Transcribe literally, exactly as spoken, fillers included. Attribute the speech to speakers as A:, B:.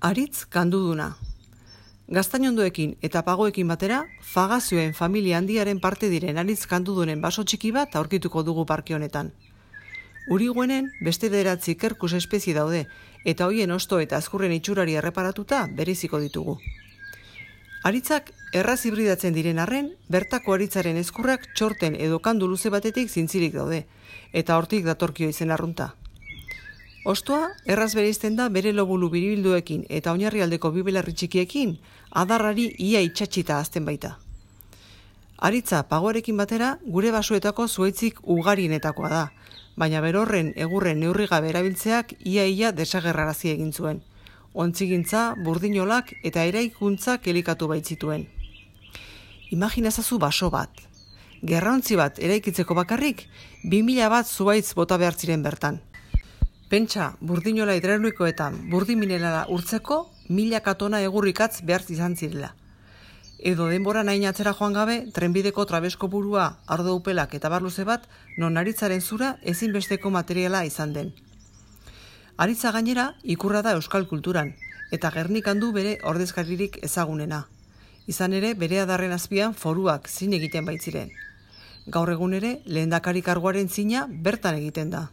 A: Aritz kanduduna. Gaztainondoekin eta pagoekin batera, fagazioen familia handiaren parte diren aritz kandudunen baso txiki bat aurkituko dugu parke honetan. Uriguenen beste bederatzi kerkus espezie daude, eta hoien hosto eta azkurren itxurari erreparatuta bereziko ditugu. Aritzak erraz hibridatzen diren arren, bertako aritzaren ezkurrak txorten edo kandu luze batetik zintzirik daude, eta hortik datorkio izen arrunta. Ostoa, erraz bereizten da bere lobulu biribilduekin eta oinarrialdeko bi belarri txikiekin, adarrari ia itxatxita azten baita. Aritza pagoarekin batera, gure basoetako zuaitzik ugarienetakoa da, baina berorren egurren neurrigabe erabiltzeak ia-ia desagerrarazi egin zuen. Ontzigintza, burdinolak eta eraikuntzak elikatu baitzituen. Imaginazazu baso bat. Gerraontzi bat eraikitzeko bakarrik, bi mila bat zuaitz bota behar ziren bertan. Pentsa, burdinola hidraulikoetan burdin minerala urtzeko milaka tona egurrikatz behar izan zirela. Edo denbora nahi atzera joan gabe, trenbideko trabesko burua, ardo upelak eta barluze bat, non aritzaren zura ezinbesteko materiala izan den. Aritza gainera ikurra da euskal kulturan, eta Gernikan du bere ordezkaririk ezagunena. Izan ere, bere adarren azpian foruak zin egiten baitziren. Gaur egun ere, lehendakari karguaren zina bertan egiten da.